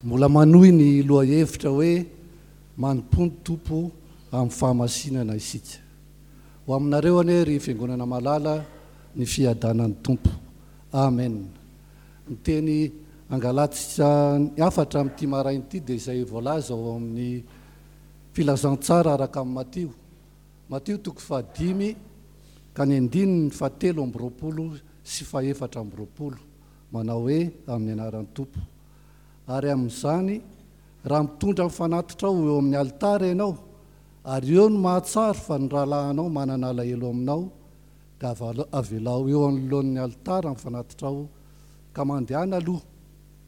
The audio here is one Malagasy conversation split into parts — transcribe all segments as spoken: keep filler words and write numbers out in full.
Mbola manohy ny lohahevitra hoe manompo ny Tompo amin'ny fahamasinana isika. Ho aminareo anie ry fiangonana malala ny fiadanan'ny Tompo. Amen. Ny teny angalantsika ny hafatra amin'ity maraina ity dia izay voalaza ao amin'ny filazantsara araka amin'ny Matio. Matio toko fahadimy ka ny andininy fahatelo amby roapolo sy fahefatra amby roapolo manao hoe amin'ny anaran'ny Tompo. Ary amin'izany, raha mitondra ny fanatitrao eo amin'ny alitara ianao, ary eo no mahatsaro fa ny rahalahinao manana alahelo aminao, dia avelao eo anoloan'ny alitara ny fanatitrao, ka mandehana aloha,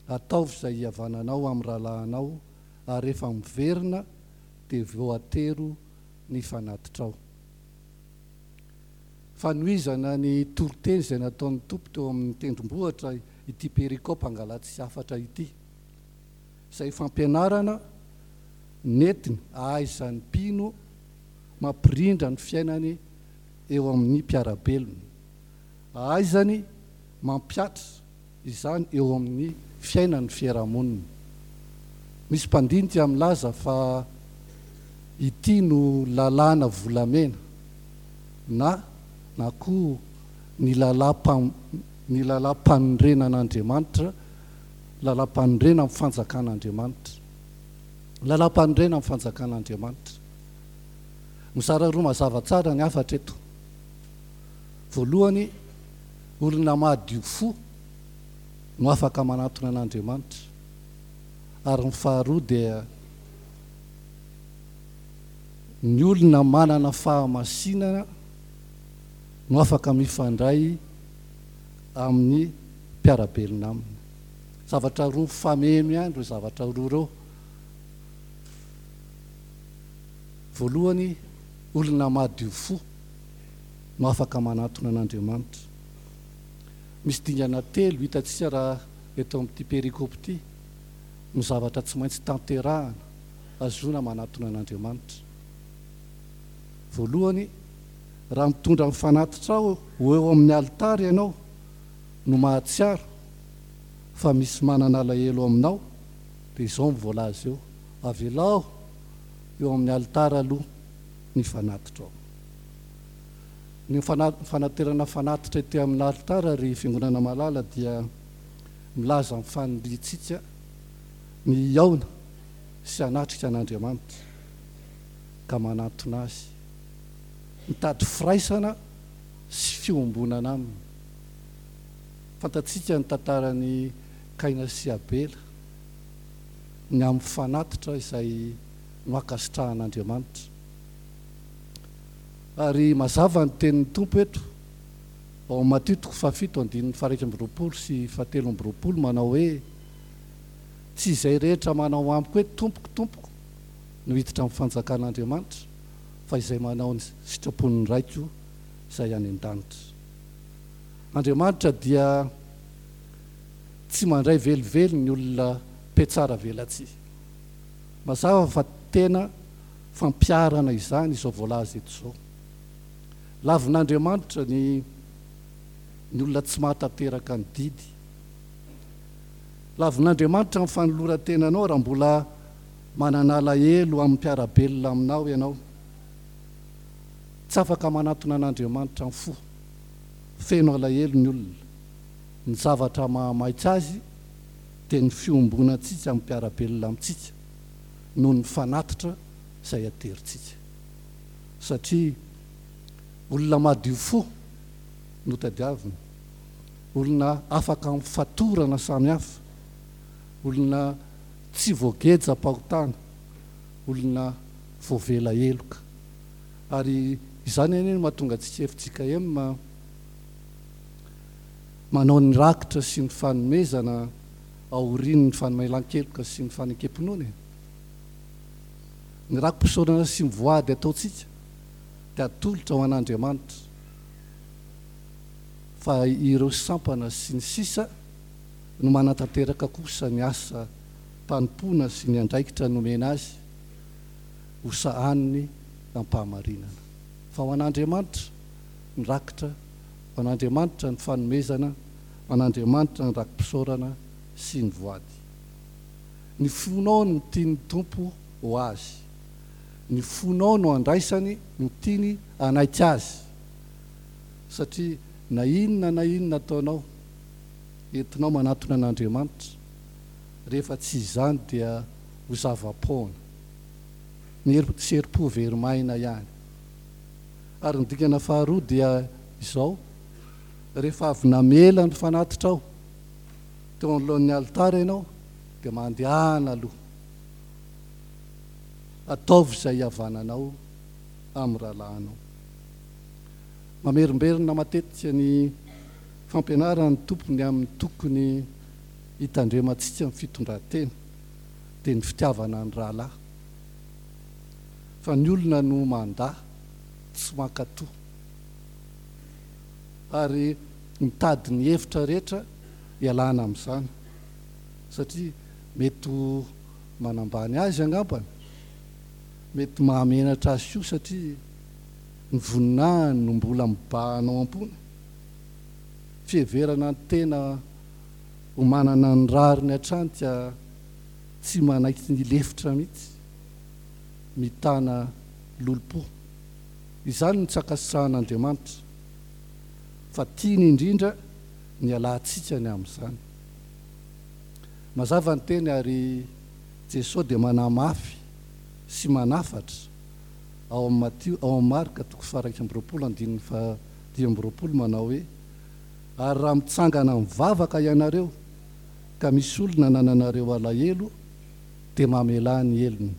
ataovy izay hihavananao amin'ny rahalahinao, ary rehefa miverina dia voatero ny fanatitrao. Fanohizana ny toriteny izay nataon'ny Tompo teo amin'ny tendrombohitra ity perikopa angalatsy hafatra ity. Izay fampianarana nentiny ahaizan'ny mpino mampirindra ny fiainany eo amin'ny mpiara-belona. Ahaizany mampihatra izany eo amin'ny fiainan'ny fiarahamonina. Misy mpandinika milaza fa ity no lalàna volamena na na koa ny lalàm- ny lalàm-panorenan'Andriamanitra, lalàm-panorenana amin'ny fanjakan'Andriamanitra. Lalàm-panorenana amin'ny fanjakan'Andriamanitra. Mizara roa mazava tsara ny hafatra eto. Voalohany, olona madio fo no afaka manatona an'Andriamanitra. Ary ny faharoa dia ny olona manana fahamasinana no afaka mifandray amin'ny mpiara-belona aminy. Zavatra roa mifameno ihany ireo zavatra roa ireo. Voalohany, olona madio fo no afaka manatona an'Andriamanitra. Misy dingana telo hitantsika raha eto amin'ity perikopa ity no zavatra tsy maintsy tanterahana ahazoana manatona an'Andriamanitra. Voalohany, raha mitondra ny fanatitrao ho eo amin'ny alitara ianao no mahatsiaro fa misy manana alahelo aminao, dia izao no voalaza eo: avelao eo amin'ny alitara aloha ny fanatitrao. Ny fanaterana fanatitra ety amin'ny alitara ry fiangonana malala dia milaza ny faniriantsika ny hihaona sy hanatrika an'Andriamanitra ka manatona azy, mitady firaisana sy fiombonana aminy. Fantatsika ny tantaran'i Kaina sy Abela, ny amin'ny fanatitra izay noankasitrahan'Andriamanitra. Ary mazava ny tenin'ny Tompo eto ao Matio toko fahafito andininy faha-iraika amby roapolo sy fahatelo amby roapolo manao hoe: tsy izay rehetra manao amiko hoe tompoko tompoko no hiditra amin'ny fanjakan'Andriamanitra, fa izay manao ny sitrapon'ny Raiko izay any an-danitra. Andriamanitra dia tsy mandray velively ny olona mpiatsara velatsihy. Mazava fa tena fampiharana izany izao voalaza eto izao. Lavin'Andriamanitra ny ny olona tsy mahatanteraka ny didy. Lavin'Andriamanitra ny fanoloran-tenanao raha mbola manana alahelo amin'ny mpiara-belona aminao ianao. Tsy afaka manatona an'Andriamanitra amin'ny fo feno alahelo ny olona. Ny zavatra mahamaika azy dia ny fiombonantsika amin'ny mpiara-belona amintsika noho ny fanatitra izay aterintsika. Satria olona madio fo no tadiavina, olona afaka amin'ny fatorana samihafa, olona tsy voageja-pahotana, olona voavela heloka. Ary izany anie no mahatonga antsika F J K M manao ny rakitra sy ny fanomezana aorian'ny famelan-keloka sy ny fanekem-pinoana. Ny raki-pisaorana sy ny voady ataontsika dia atolotra ho an'Andriamanitra, fa ireo sampana sy ny sisa no manatanteraka kosa ny asa mpanompoana sy ny andraikitra nomena azy ho sahaniny am-pahamarinana. Fa ho an'Andriamanitra ny rakitra, ho an'Andriamanitra ny fanomezana, ho an'Andriamanitra ny raki-pisaorana sy ny voady. Ny fonao no tian'ny Tompo ho azy. Ny fonao no andraisany, no tiany hanaiky azy. Satria na inona na inona ataonao, entinao manatona an'Andriamanitra, rehefa tsy izany dia ho zava-poana. Ny herim-po very maina ihany. Ary ny dingana faharoa dia izao, rehefa avy namela ny fanatitrao teo anoloan'ny alitara ianao, dia mandehana aloha. Ataovy izay hihavananao amin'ny rahalahinao. Mamerimberina matetika ny fampianaran'ny Tompo ny amin'ny tokony hitandremantsika ny fitondran-tena, dia ny fitiavana ny rahalahy. Fa ny olona no mandà, tsy mankatò, ary mitady ny hevitra rehetra hialana amin'izany, satria mety ho manambany azy angambany, mety mahamenatra azy koa satria ny voninahiny no mbola mibahana ao am-pony. Fiheverana ny tena ho manana ny rariny hatrany ka tsy manaiky ny lefitra mihitsy, mitana lolompo. Izany no tsy ankasitrahan'Andriamanitra, fa tiany indrindra ny alantsika ny amin'izany. Mazava ny teny ary Jesosy dia manamafy sy manafatra ao amin'ny Matio, ao amin'ny Marka toko faha-iraika amby roapolo andininy fahadimy amby roapolo manao hoe: ary raha mitsangana mivavaka ianareo ka misy olona nananareo alahelo, dia mamelà ny helony,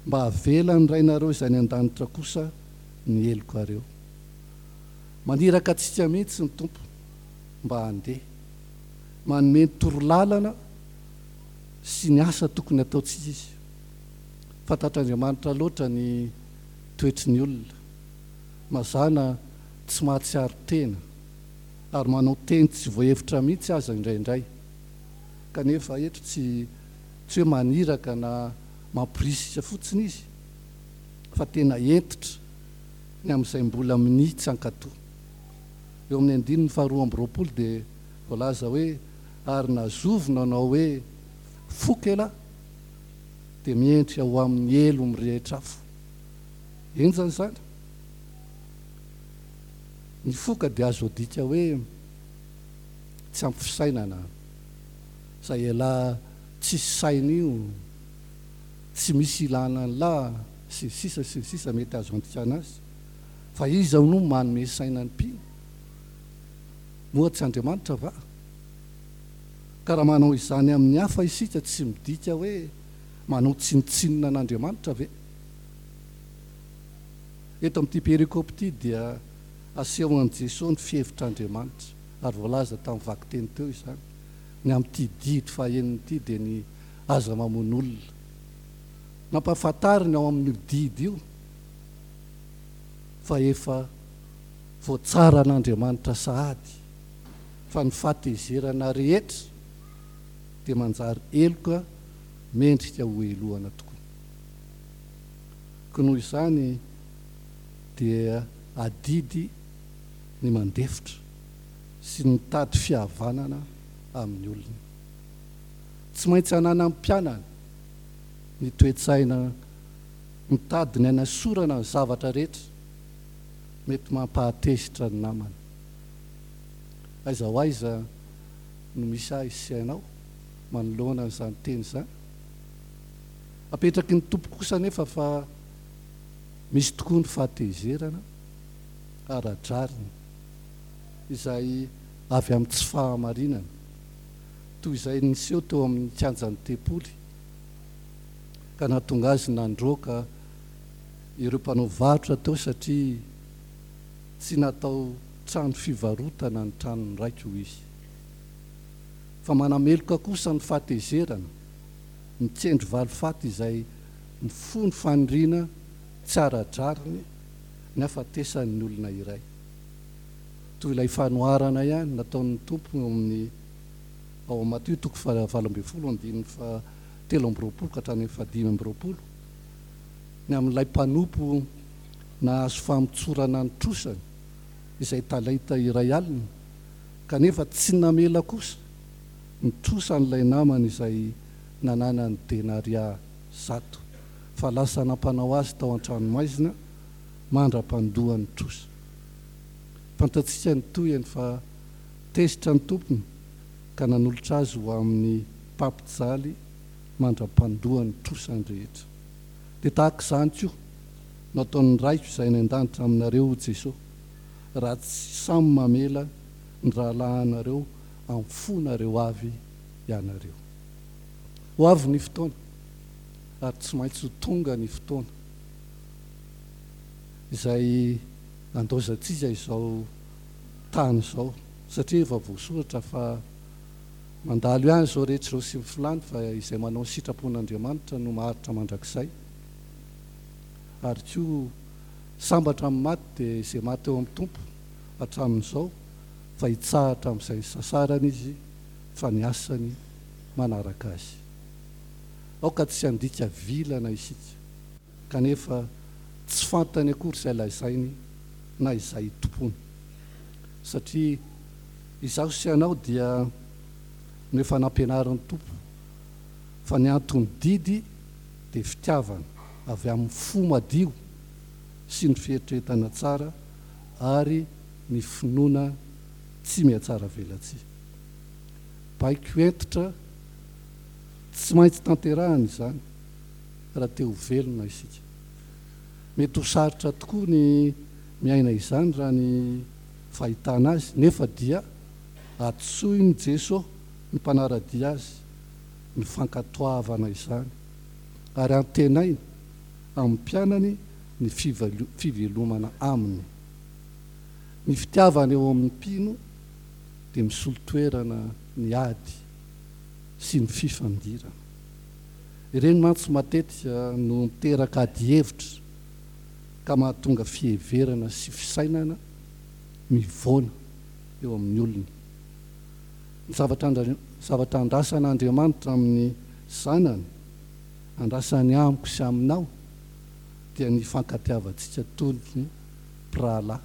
mba havelan'ny Rainareo izay any an-danitra kosa ny helokareo. Maniraka antsika mihitsy ny Tompo mba handeha, manome ny torolalana sy ny asa tokony ataontsika izy. Fantatr'Andriamanitra loatra ny toetry ny olona, mazàna tsy mahatsiaro tena ary manao teny tsy voahevitra mihitsy aza indraindray. Kanefa eto tsy tsy hoe maniraka na mampirisika fotsiny izy, fa tena hentitra ny amin'izay mbola minia tsy hankatò. Eo amin'ny andininy faharoa amby roapolo dia voalaza hoe: ary nazovy nanao hoe foka ela, dia miendrika ho amin'ny helo mirehitra afo. Henjana izany. Ny foka dia azo adika hoe tsy ampy fisainana, izay ela tsisy saina io, tsy misy ilana ny lahy, sy ny sisa sy ny sisa mety azo andikana azy. Fa iza no manome saina ny mpino? Moa tsy Andriamanitra va? Ka raha manao izany amin'ny hafa isika, tsy midika hoe manao tsinontsinona an'Andriamanitra ve? Eto amin'ity perikopa ity dia asehon'i Jesosy ny fihevitr'Andriamanitra, ary voalaza tamin'ny vakiteny teo izany. Ny amin'ity didy fahenina ity dia ny aza mamono olona. Nampahafantariny ao amin'io didy io fa efa voatsaran'Andriamanitra sahady fa ny fahatezerana rehetra dia manjary heloka mendrika ho helohana tokoa. Koa noho izany dia adidy ny mandefitra sy ny mitady fihavanana amin'ny olona. Tsy maintsy hananan'ny mpianany ny toe-tsaina mitady ny hanasorana ny zavatra rehetra mety mampahatezitra ny namana. Aiza ho aiza no misy ahy sy ianao manoloana an'izany teny izany? Apetraky ny Tompo kosa nefa fa misy tokoa ny fahatezerana ara-drariny izay avy amin'ny tsy fahamarinana, toy izay niseho teo amin'ny kianjan'ny tempoly ka nahatonga azy nandroaka ireo mpanao varotra teo, satria tsy natao trano fivarotana ny tranon'ny raiko izy. Fa manameloka kosa ny fahatezerana, mikendry valifaty izay mifono faniriana tsy ara-drariny ny hafatesan'ny olona iray. Toy ilay fanoharana ihany nataon'ny Tompo eo amin'ny ao amin'ny Matio toko fahavalo ambin'ny folo andininy fahatelo amby roapolo ka hatrany amin'ny fahadimy amby roapolo, ny amin'ilay mpanompo nahazo famotsorana ny trosany izay talenta iray alina, kanefa tsy namela kosa ny trosan'ilay namany izay nananany denaria zato, fa lasa nampanao azy tao an-tranomaizina mandra-pandoany trosa. Fantatsika ny tohiny fa tezitra ny tompony ka nanolotra azy ho amin'ny mpampijaly mandra-pandoany trosany rehetra. Dia tahaka izany koa no ataon'ny Raiko izay any an-danitra aminareo, Jesosy, raha tsy samy mamela ny rahalahinareo amin'ny fonareo avy ianareo. Ho avy ny fotoana, ary tsy maintsy ho tonga ny fotoana izay andaozantsika izao tany izao, satria efa voasoratra fa mandalo ihany izao rehetra izao sy ny filany, fa izay manao ny sitrapon'Andriamanitra no maharitra mandrakizay. Ary koa sambatra amin'ny maty dia izay maty eo amin'ny Tompo hatramin'izao, fa hitsahatra amin'izay sasarany izy, fa ny asany manaraka azy. Aoka tsy handika vilana isika, kanefa tsy fantany akory izay lazainy na izay tompony, satria izaho sy ianao dia no efa nampianarin'ny Tompo fa ny anton'ny didy dia fitiavana avy amin'ny fo madio sy ny fieritreretana tsara ary ny finoana tsy mihatsara velatsihy. Baiko hentitra tsy maintsy tanterahana izany raha te ho velona isika. Mety ho sarotra tokoa ny miaina izany raha ny fahitana azy, nefa dia antsoin'i Jesosy ny mpanara-dia azy ny fankatoavana izany, ary antenainy amin'ny mpianany ny fivelomana aminy. Ny fitiavana eo amin'ny mpino dia misolo toerana ny ady sy ny fifandirana. Ireny mantsy matetika no miteraka ady hevitra ka mahatonga fiheverana sy fisainana mivoana eo amin'ny olona. Ny zavatra zavatra andrasan'Andriamanitra amin'ny zanany, andrasany amiko sy aminao, dia ny fankatiavantsika toy ny mpirahalahy,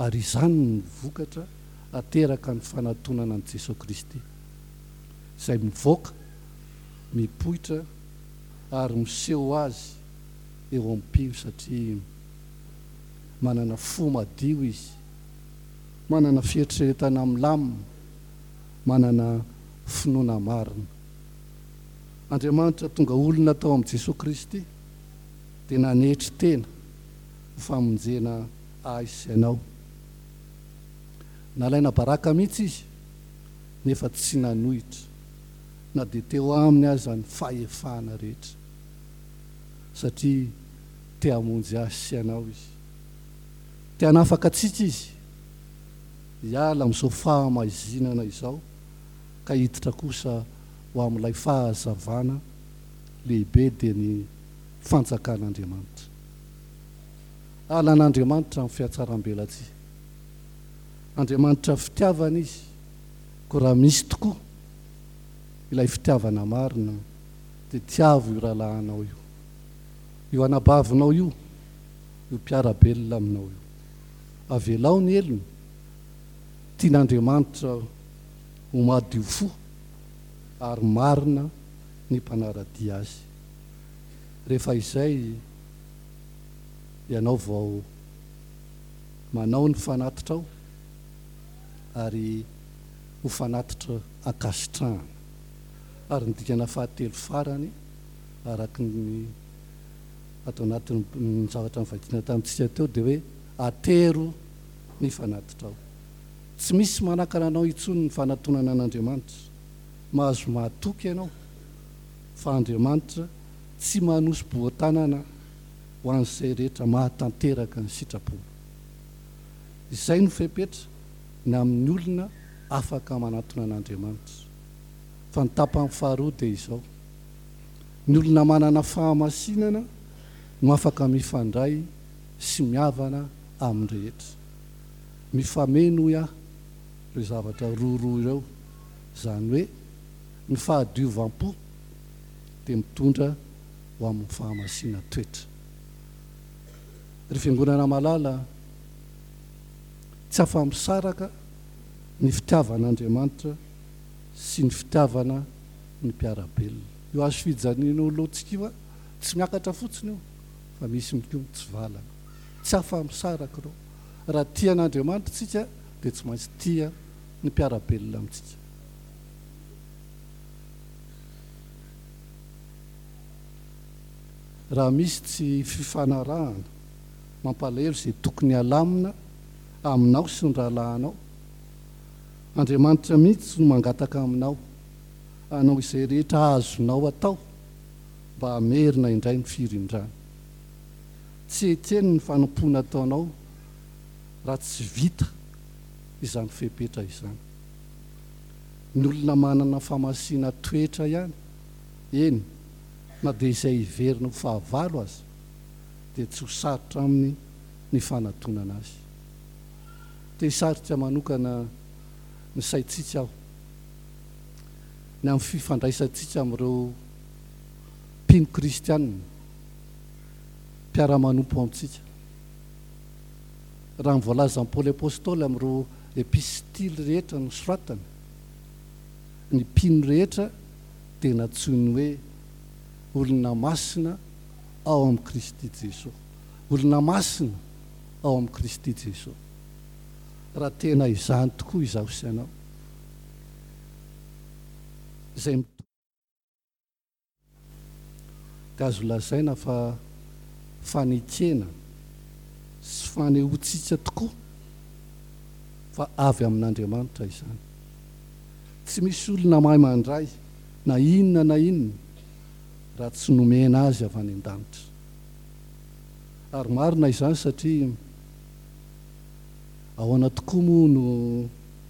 ary izany no vokatra ateraka ny fanatonana an'i Jesosy Kristy, izay mivoaka, mipoitra ary miseho azy eo amin'ny mpino, satria manana fo madio izy, manana fieritreretana milamina, manana finoana marina. Andriamanitra tonga olona tao amin'i Jesosy Kristy dia nanetry tena ho famonjena ahy sy ianao. Nalaina baraka mihitsy izy, nefa tsy nanohitra na dia teo aminy aza ny fahefana rehetra, satria te hamonjy ahy sy ianao izy. Te hanafaka antsika izy hiala amin'izao fahamaizinana izao ka hiditra kosa ho amin'ilay fahazavana lehibe, dia ny fanjakan'Andriamanitra. Alan'Andriamanitra amin'ny fihatsaram-belatsihy. Andriamanitra fitiavana izy, koa raha misy tokoa ilay fitiavana marina, dia tiavo io rahalahinao io, io anabavinao io, io mpiara-belona aminao io. Avelao ny helony. Tian'Andriamanitra ho madio fo ary marina ny mpanara-dia azy. Rehefa izay ianao vao manao ny fanatitrao, ary ho fanatitra ankasitrahana. Ary ny dikana fahatelo farany, araka ny ato anatin'ny zavatra novakiana tamintsika teo, dia hoe atero ny fanatitrao. Tsy misy manakana anao intsony ny fanatonana an'Andriamanitra. Mahazo mahatoky ianao fa Andriamanitra tsy manosi-boa-tanana ho an'izay rehetra mahatanteraka ny sitrapony. Izay no fepetra ny amin'ny olona afaka manatona an'Andriamanitra. Fa ny tapany faharoa dia izao: ny olona manana fahamasinana no afaka mifandray sy mihavana amin'ny rehetra. Mifameno hoy aho ireo zavatra roa roa ireo, izany hoe ny fahadiovam-po dia mitondra ho amin'ny fahamasina toetra. Ry fiangonana malala, tsy afa-misaraka ny fitiavan'Andriamanitra sy ny fitiavana ny mpiara-belona. Io hazo fijaliana eo alohantsika io, tsy miakatra fotsiny io, fa misy mikoa mitsivalana. Tsy afa-misaraka ireo. Raha tia an'Andriamanitra isika, dia tsy maintsy tia ny mpiara-belona amintsika. Raha misy tsy fifanarahana mampalahelo izay tokony halamina aminao sy ny rahalahinao, Andriamanitra mihitsy no mangataka aminao hanao izay rehetra azonao atao mba hamerina indray ny firindrana. Tsy ekeny ny fanompoana ataonao raha tsy vita izany fepetra izany. Ny olona manana fahamasina toetra ihany, eny, na dia izay hiverina ho fahavalo aza, dia tsy ho sarotra aminy ny fanatonana azy. Te hisarika manokana ny saintsika aho ny amin'ny fifandraisantsika amin'ireo mpino kristianina mpiara-manompo amintsika. Raha ny voalazan'i Paoly Apostoly amin'ireo epistily rehetra nosoratany, ny mpino rehetra dia nantsoiny hoe olona masina ao amin'i Kristy Jesoa. Olona masina ao amin'i Kristy Jesoa. Raha tena izany tokoa izaho sy ianao, izay mitory, dia azo lazaina fa fanekena sy fanehoantsika tokoa fa avy amin'Andriamanitra izany. Tsy misy olona mahay mandray na inona na inona raha tsy nomena azy avy any an-danitra. Ary marina izany satria ahoana tokoa moa no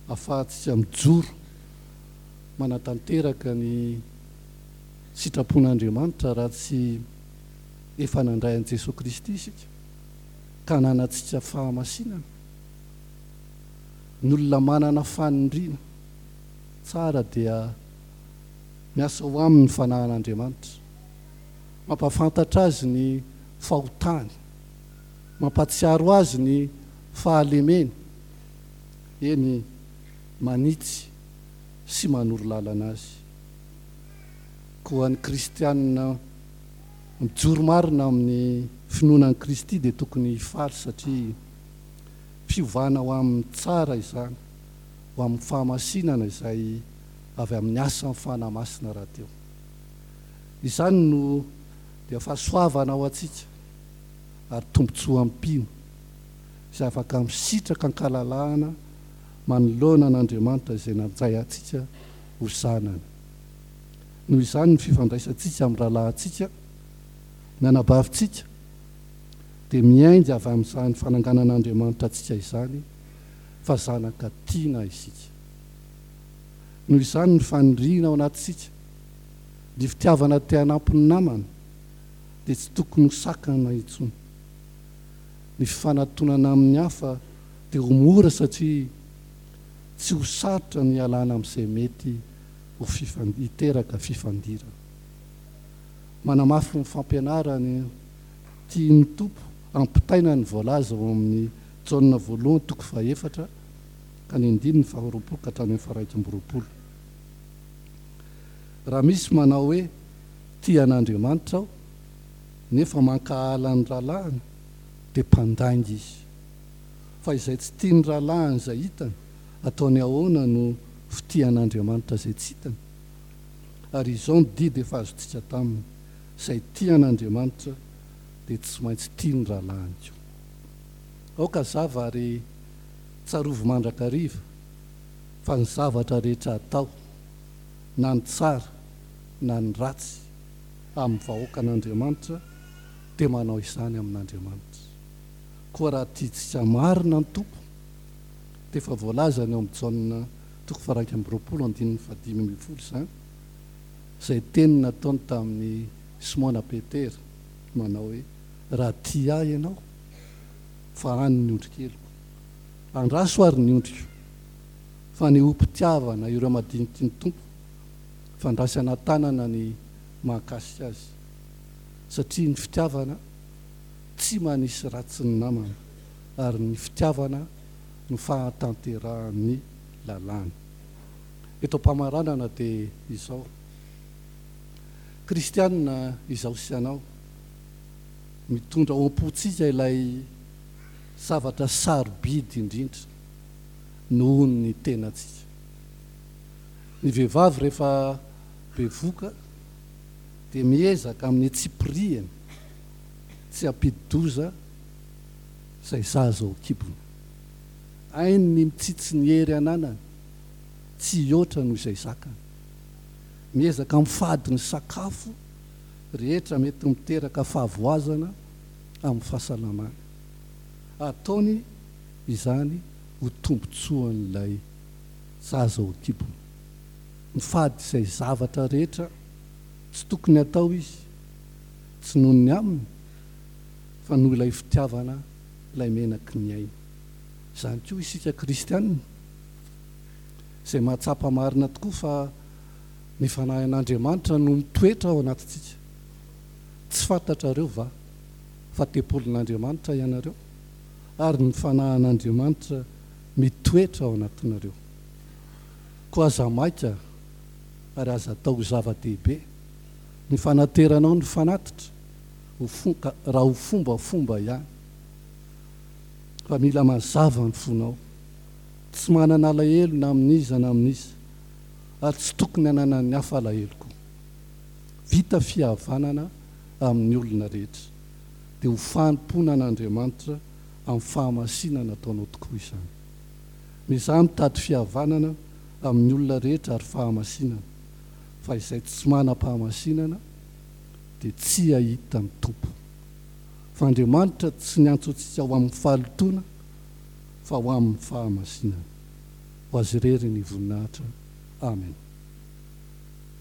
ahafahantsika mijoro manatanteraka ny sitrapon'Andriamanitra raha tsy efa nandray an'i Jesoa Kristy isika ka nanantsika fahamasinana. Ny olona manana fanindriana tsara dia miasa ho aminy ny fanahin'Andriamanitra, mampahafantatra azy ny fahotany, mampahatsiaro azy ny fahalemeny, eny manitsy sy manoro lalana azy. Koa ny kristianina mijoro marina amin'ny finoana an'i Kristy dia tokony hifaly satria fiovana ho amin'ny tsara izany, ho amin'ny fahamasinana izay avy amin'ny asan'ny Fanahy Masina rahateo. Izany no dia fahasoavana ho antsika ary tombontsoa amin'ny mpino izay afaka misitraka an-kalalahana manoloana an'Andriamanitra izay nandray antsika ho zanany. Noho izany ny fifandraisantsika amin'ny rahalahintsika, ny anabavintsika, dia miainga avy amin'izany fananganan'Andriamanitra antsika izany fa zanaka tiana isika. Noho izany ny faniriana ao anatintsika, ny fitiavana te hanampy ny namana, dia tsy tokony ho sakana intsony. Ny fifanatonana amin'ny hafa dia ho mora satria tsy ho sarotra ny hialana amin'izay mety ho hiteraka fifandirana. Manamafy ny fampianarany tian'ny Tompo ampitaina ny voalaza ao amin'ny Jaona voalohany toko fahefatra ka ny andininy faharoapolo ka hatrany amin'ny faharaika amby roapolo. Raha misy manao hoe tia an'Andriamanitra aho nefa mankahala ny rahalahiny dia mpandainga izy. Fa izay tsy tia ny rahalahiny izay hitany, ataony ahoana no fitia an'Andriamanitra izay tsy hitany? Ary izao ny didy efa azontsika taminy, izay tia an'Andriamanitra dia tsy maintsy tia ny rahalahiny koa. Aoka hazava ary tsarovy mandrakariva fa ny zavatra rehetra atao, na ny tsara na ny ratsy, amin'ny vahoakan'Andriamanitra dia manao izany amin'Andriamanitra. Koa raha tiantsika marina ny Tompo, dia efa voalazany ao amin'ny Jaona toko faha-iraika amby roapolo andininy fahadimy ambin'ny folo izany, izay teny nataony tamin'i Simona Petera manao hoe, raha tia ahy ianao, fa any ny ondrikeliko. Andraso ary ny ondriko, fa fanehoam-pitiavana ireo madiniky ny Tompo, fandraisana tanana ny mahakasika azy, satria ny fitiavana tsy manisy ratsy ny namana, ary ny fitiavana no fahatanterahan'ny lalàna. Eto am-pamaranana dia izao, Kristianina izaho sy ianao, mitondra ao am-pontsika ilay zavatra sarobidy indrindra noho ny tenantsika. Ny vehivavy rehefa bevoka dia miezaka amin'ny tsipiriany tsy hampidi-doza izay zaza ao an-kibony. Hainy ny mitsitsy ny hery ananany, tsy hihoatra noho izay zakany. Miezaka mifady ny sakafo rehetra mety miteraka fahavoazana amin'ny fahasalamany. Ataony izany ho tombontsoan'ilay zaza ao an-kibony. Mifady izay zavatra rehetra tsy tokony atao izy, tsy noho ny aminy, fa noho ilay fitiavana ilay menaky ny ainy. Izany koa isika kristianina, izay mahatsapa marina tokoa fa ny fanahin'Andriamanitra no mitoetra ao anatintsika. Tsy fantatrareo va fa tempolin'Andriamanitra ianareo, ary ny fanahin'Andriamanitra mitoetra ao anatinareo? Koa aza maika ary aza atao ho zava-dehibe ny fanateranao ny fanatitra ho fo-, ka raha ho fombafomba ihany, fa mila mazava ny fonao. Tsy manana alahelo na amin'iza na amin'iza, ary tsy tokony hananan'ny hafa alahelo koa. Vita fihavanana amin'ny olona rehetra, dia ho fanompoana an'Andriamanitra amin'ny fahamasinana ataonao tokoa izany. Miezaha mitady fihavanana amin'ny olona rehetra ary fahamasinana, fa izay tsy manam-pahamasinana dia tsy hahita ny Tompo. Fa Andriamanitra tsy niantso antsika ho amin'ny fahalotoana, fa ho amin'ny fahamasinana. Ho Azy irery ny voninahitra. Amen.